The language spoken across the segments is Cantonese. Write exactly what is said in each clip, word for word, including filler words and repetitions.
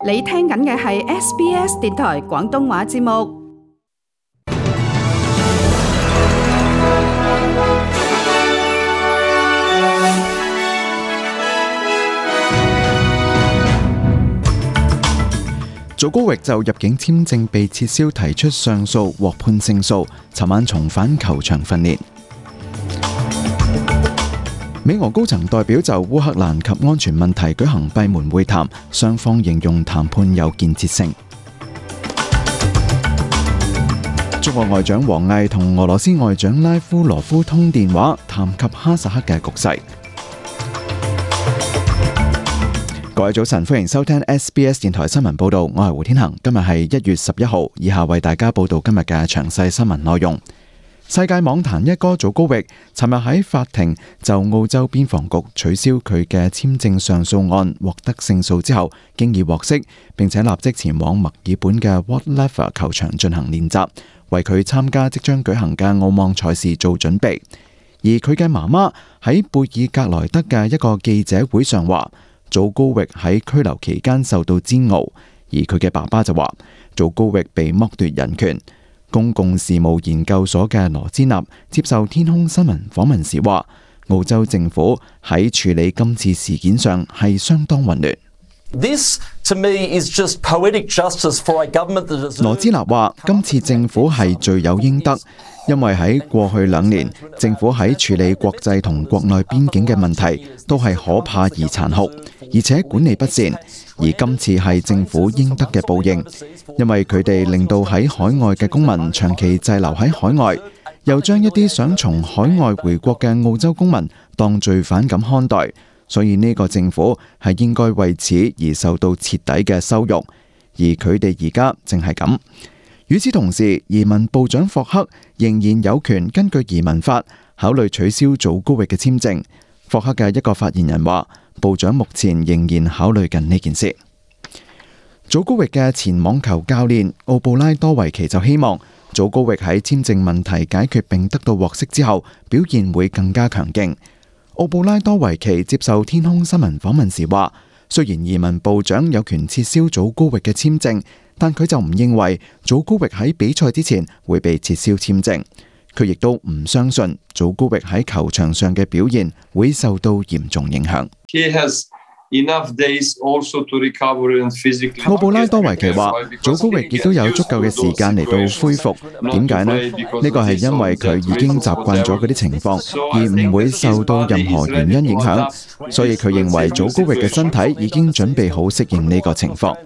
你聽緊嘅係 S B S 電台廣東話節目。祖高域就入境簽證被撤銷提出上訴，獲判勝訴，尋晚重返球場訓練。美俄高層代表就烏克蘭及安全問題舉行閉門會談，雙方形容談判有建設性。中國外長王毅同俄羅斯外長拉夫羅夫通電話，談及哈薩克嘅局勢。各位早晨，歡迎收聽 S B S 電台新聞報道，我係胡天恒。今日係一月十一號，以下為大家報道今日嘅詳細新聞內容。世界網壇一哥祖高域尋日喺法庭就澳洲邊防局取消佢嘅簽證上訴案獲得勝訴之後，經已獲釋，並且立即前往墨爾本嘅 Whatleva 球場進行練習，為佢參加即將舉行嘅澳網賽事做準備。而佢嘅媽媽喺貝爾格萊德嘅一個記者會上話，祖高域喺拘留期間受到煎熬，而佢嘅爸爸就話祖高域被剝奪人權。公共事務研究所嘅羅茲納接受天空新聞訪問時話，澳洲政府喺處理今次事件上係相當混亂。This to me is just poetic justice for a government that deserves. 羅茲納話，今次政府係罪有應得，因為喺過去兩年，政府喺處理國際同國內邊境嘅問題都係可怕而殘酷，而且管理不善。而今次係政府應得嘅報應，因為佢哋令到喺海外嘅公民長期滯留喺海外，又將一啲想從海外回國嘅澳洲公民當罪犯咁看待。所以呢個政府係應該為此而受到徹底嘅羞辱，而佢哋而家正係咁。與此同時，移民部長霍克仍然有權根據移民法考慮取消祖高域嘅簽證。霍克嘅一個發言人話，部長目前仍然考慮緊呢件事。祖高域嘅前網球教練奧布拉多維奇就希望祖高域喺簽證問題解決並得到獲釋之後，表現會更加強勁。奧布拉多維奇接受天空新聞訪問時話，雖然移民部長有權撤銷祖高域嘅簽證，但佢就唔認為祖高域喺比賽之前會被撤銷簽證。佢亦都唔相信祖高域喺球場上嘅表現會受到嚴重影響。奧布拉多維奇話，祖高域亦都有足夠嘅時間嚟到恢復。點解呢？呢個係因為佢已經習慣咗嗰啲情況，而唔會受到任何原因影響。所以佢認為祖高域嘅身體已經準備好適應呢個情況。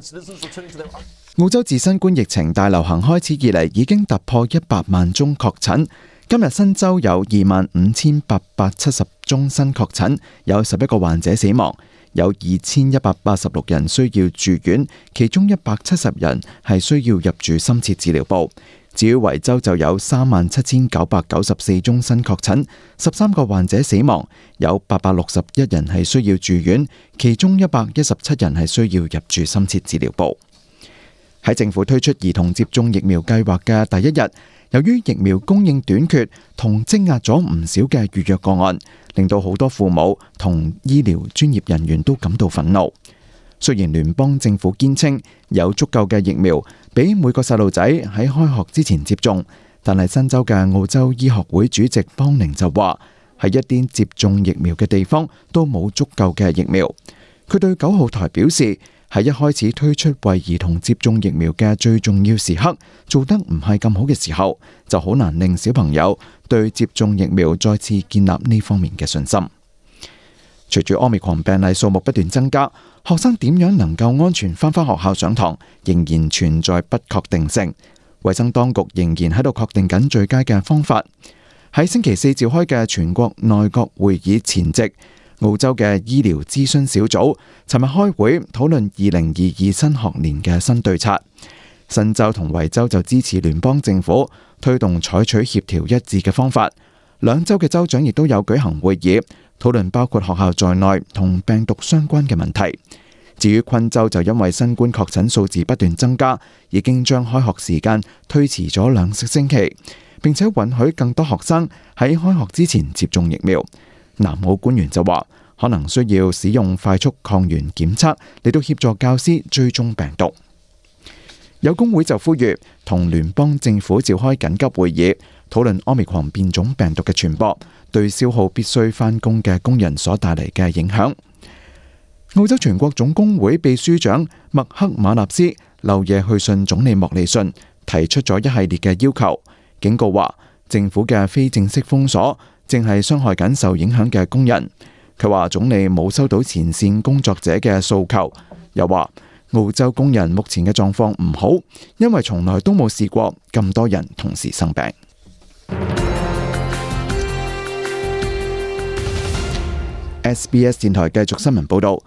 澳洲自新冠疫情大流行開始以嚟，已經突破一百萬宗確診。今日新州有二萬五千八百七十宗新確診，有十一個患者死亡。有二千一百八十六人需要住院，其中一百七十人係需要入住深切治療部。至於維州就有三萬七千九百九十四宗新確診，十三個患者死亡，有八百六十一人係需要住院，其中一百一十七人係需要入住深切治療部。喺政府推出兒童接種疫苗計劃嘅第一日，由於疫苗供應短缺同積壓咗唔少嘅預約個案，令到好多父母同醫療專業人員都感到憤怒。雖然聯邦政府堅稱有足夠嘅疫苗俾每個細路仔喺開學之前接種，但係新州嘅澳洲醫學會主席邦寧就話，喺一啲接種疫苗嘅地方都冇足夠嘅疫苗。佢對九號台表示，喺一開始推出為兒童接種疫苗嘅最重要時刻做得唔係咁好嘅時候，就好難令小朋友對接種疫苗再次建立呢方面嘅信心。隨住 Omicron 病例數目不斷增加，學生點樣能夠安全返返學校上堂，仍然存在不確定性。衛生當局仍然喺度確定緊最佳嘅方法。喺星期四召開嘅全國內閣會議前夕，澳洲嘅醫療諮詢小組尋日開會討論二零二二新學年嘅新對策。新州同維州就支持聯邦政府推動採取協調一致嘅方法。兩州嘅州長亦都有舉行會議，討論包括學校在內同病毒相關嘅問題。至於昆州就因為新冠確診數字不斷增加，已經將開學時間推遲咗兩個星期，並且允許更多學生喺開學之前接種疫苗。南澳官員就話，可能需要使用快速抗原檢測嚟到協助教師追蹤病毒。有工會就呼籲同聯邦政府召開緊急會議，討論 Omicron 變種病毒嘅傳播對消耗必須返工嘅工人所帶嚟嘅影響。澳洲全國總工會秘書長麥克馬納斯漏夜去信總理莫里遜，提出咗一系列嘅要求，警告話政府嘅非正式封鎖正係傷害緊受影響嘅工人。佢話總理冇收到前線工作者嘅訴求，又話澳洲工人目前嘅狀況唔好，因為從來都冇試過咁多人同時生病。S B S 電台繼續新聞報道，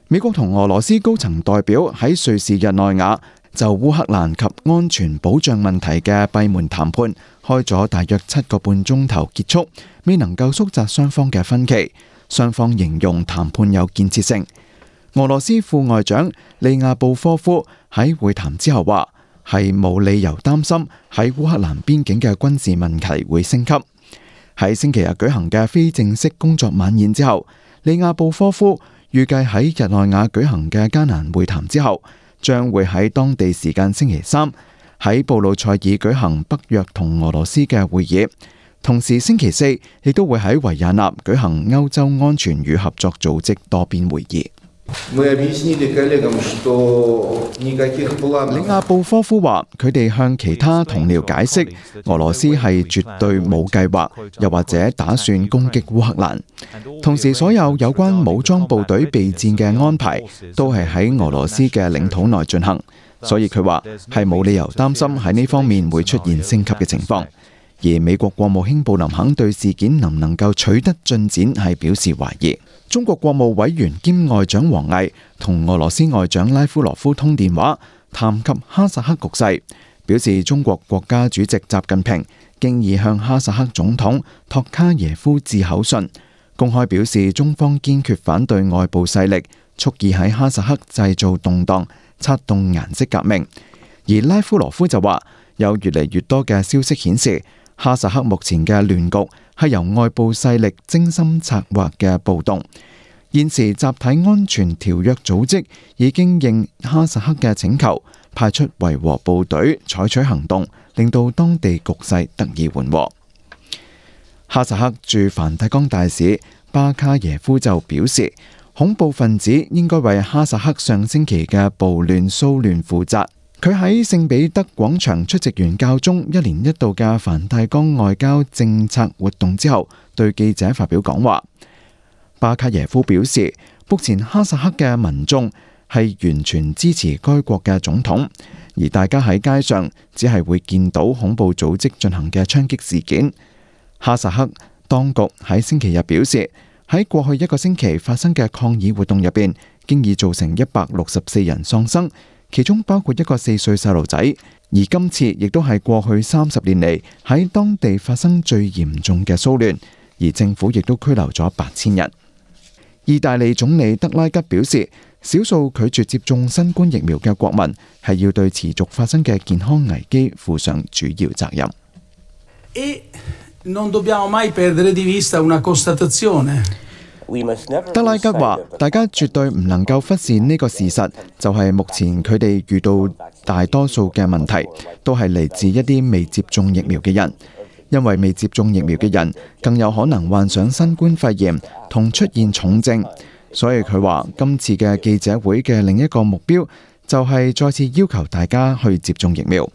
美國同俄羅斯高層代表喺瑞士日內瓦就烏克蘭及安全保障問題嘅閉門談判開咗大約七個半鐘頭結束，未能夠縮窄雙方嘅分歧。雙方形容談判有建設性。俄羅斯副外長利亞布科夫喺會談之後話，係冇理由擔心喺烏克蘭邊境嘅軍事問題會升級。喺星期日舉行嘅非正式工作晚宴之後，利亞布科夫預計喺日內瓦舉行嘅艱難會談之後，將會喺當地時間星期三喺布魯塞爾舉行北約同俄羅斯嘅會議。同時星期四亦都會喺維也納舉行歐洲安全與合作組織多邊會議。里亞布科夫話：佢哋向其他同僚解釋，俄羅斯係絕對冇計劃，又或者打算攻擊烏克蘭。同時，所有有關武裝部隊備戰嘅安排都係喺俄羅斯嘅領土內進行，所以佢話係冇理由擔心喺呢方面會出現升級嘅情況。而美國國務卿布林肯對事件能唔能夠取得進展係表示懷疑。中國國務委員兼外長王毅同俄羅斯外長拉夫羅夫通電話，談及哈薩克局勢，表示中國國家主席習近平經已向哈薩克總統托卡耶夫致口信，公開表示中方堅決反對外部勢力蓄意喺哈薩克製造動盪，策動顏色革命。而拉夫羅夫就話，有越嚟越多嘅消息顯示，哈薩克目前嘅亂局係由外部勢力精心策劃嘅暴動。現時集體安全條約組織已經應哈薩克嘅請求，派出維和部隊採取行動，令到當地局勢得以緩和。哈薩克駐梵蒂岡大使巴卡耶夫就表示，恐怖分子應該為哈薩克上星期嘅暴亂騷亂負責。佢喺聖彼得廣場出席完教宗一年一度嘅梵蒂岡外交政策活動之後，對記者發表講話。巴卡耶夫表示，目前哈薩克嘅民眾係完全支持該國嘅總統，而大家喺街上只係會見到恐怖組織進行嘅槍擊事件。哈薩克當局喺星期日表示，喺過去一個星期發生嘅抗議活動入邊，經已造成一百六十四人喪生，其中包括一個四歲細路仔。而今次亦都係過去三十年嚟喺當地發生最嚴重嘅騷亂，而政府亦都拘留咗八千人。意大利總理德拉吉表示，少數拒絕接種新冠疫苗嘅國民係要對持續發生嘅健康危機負上主要責任。德拉吉話：大家絕對唔能夠忽視呢個事實，就係、是、目前佢哋遇到大多數嘅問題，都係嚟自一啲未接種疫苗嘅人。因為未接種疫苗嘅人更有可能患上新冠肺炎同出現重症，所以佢話今次嘅記者會嘅另一個目標就係再次要求大家去接種疫苗。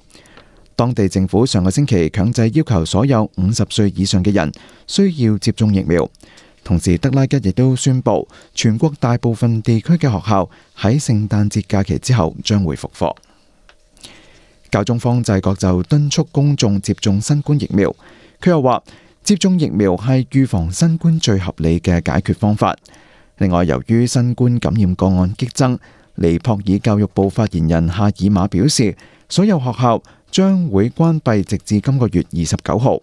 當地政府上個星期強制要求所有五十歲以上嘅人需要接種疫苗，同時德拉吉亦都宣布全國大部分地區嘅學校喺聖誕節假期之後將會復課。教宗方濟各就敦促公眾接種新冠疫苗，佢又話接種疫苗係預防新冠最合理嘅解決方法。另外，由於新冠感染個案激增，尼泊爾教育部發言人夏爾馬表示，所有學校將會關閉直至今個月二十九號，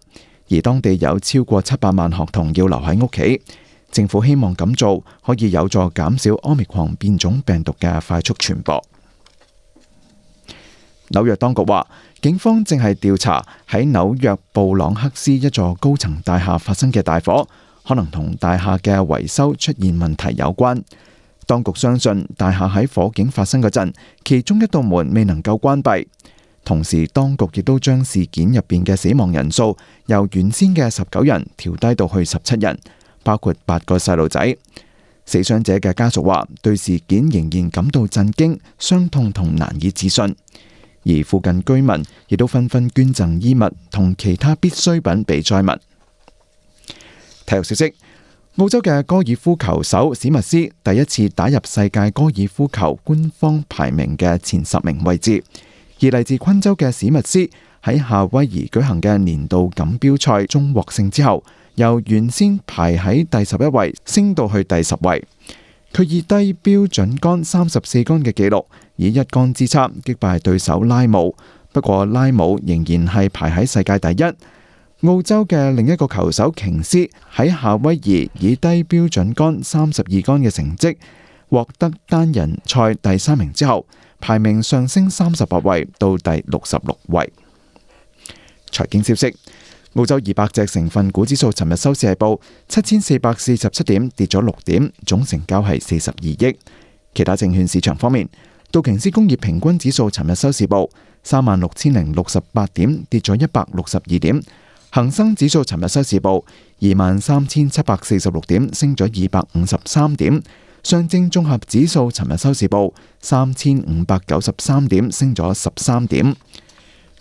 而當地有超過七百萬學童要留喺屋企。政府希望咁做可以有助減少 Omicron 變種病毒嘅快速傳播。紐約當局話，警方正係調查喺紐約布朗克斯一座高層大廈發生嘅大火，可能同大廈嘅維修出現問題有關。當局相信大廈喺火警發生嗰陣，其中一道門未能夠關閉。同時，當局亦都將事件入邊嘅死亡人數由原先嘅十九人調低到去十七人，包括八個細路仔。死傷者嘅家屬話，對事件仍然感到震驚、傷痛同難以置信。而附近居民亦都紛紛捐贈衣物同其他必需品俾災民。體育消息：澳洲嘅高爾夫球手史密斯第一次打入世界高爾夫球官方排名嘅前十名位置。而嚟自昆州嘅史密斯喺夏威夷舉行嘅年度錦標賽中獲勝之後，由原先排喺第十一位升到去第十位。佢以低標準桿三十四桿嘅紀錄，以一桿之差擊敗對手拉姆。不過拉姆仍然係排喺世界第一。澳洲嘅另一個球手瓊斯喺夏威夷以低標準桿三十二桿嘅成績獲得單人賽第三名之後，排名上升三十八位到第六十六位。財經消息：澳洲二百隻成分股指數尋日收市係報七千四百四十七點，跌咗六點，總成交係四十二億。其他證券市場方面，道瓊斯工業平均指數尋日收市報三萬六千零六十八點，跌咗一百六十二點。恒生指數尋日收市報二萬三千七百四十六點，升咗二百五十三點。上證綜合指數尋日收市報三千五百九十三點，升咗十三點。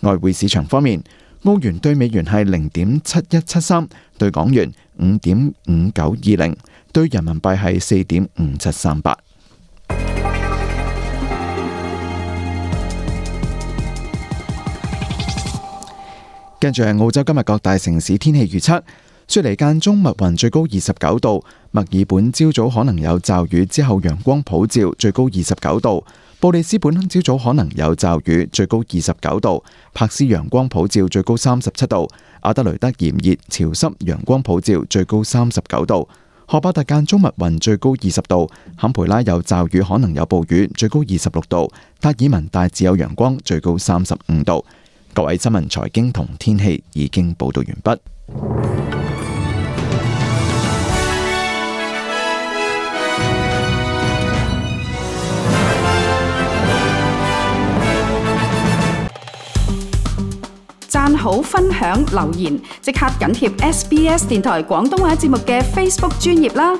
外匯市場方面，澳元對美元係零點七一七三，對港元五點五九二零，對人民幣係四點五七三八。跟住係澳洲今日各大城市天氣預測。雪梨間中密雲，最高二十九度；墨爾本朝早可能有驟雨，之後陽光普照，最高二十九度；布里斯本朝早可能有驟雨，最高二十九度；柏斯陽光普照，最高三十七度；阿德雷德炎熱潮濕，陽光普照，最高三十九度；荷巴特間中密雲，最高二十度；坎培拉有驟雨，可能有暴雨，最高二十六度；達爾文大致有陽光，最高三十五度。各位新聞、財經同天氣已經報道完畢。讚好、分享、留言，即刻緊貼 S B S 電台廣東話節目嘅 Facebook 專頁啦！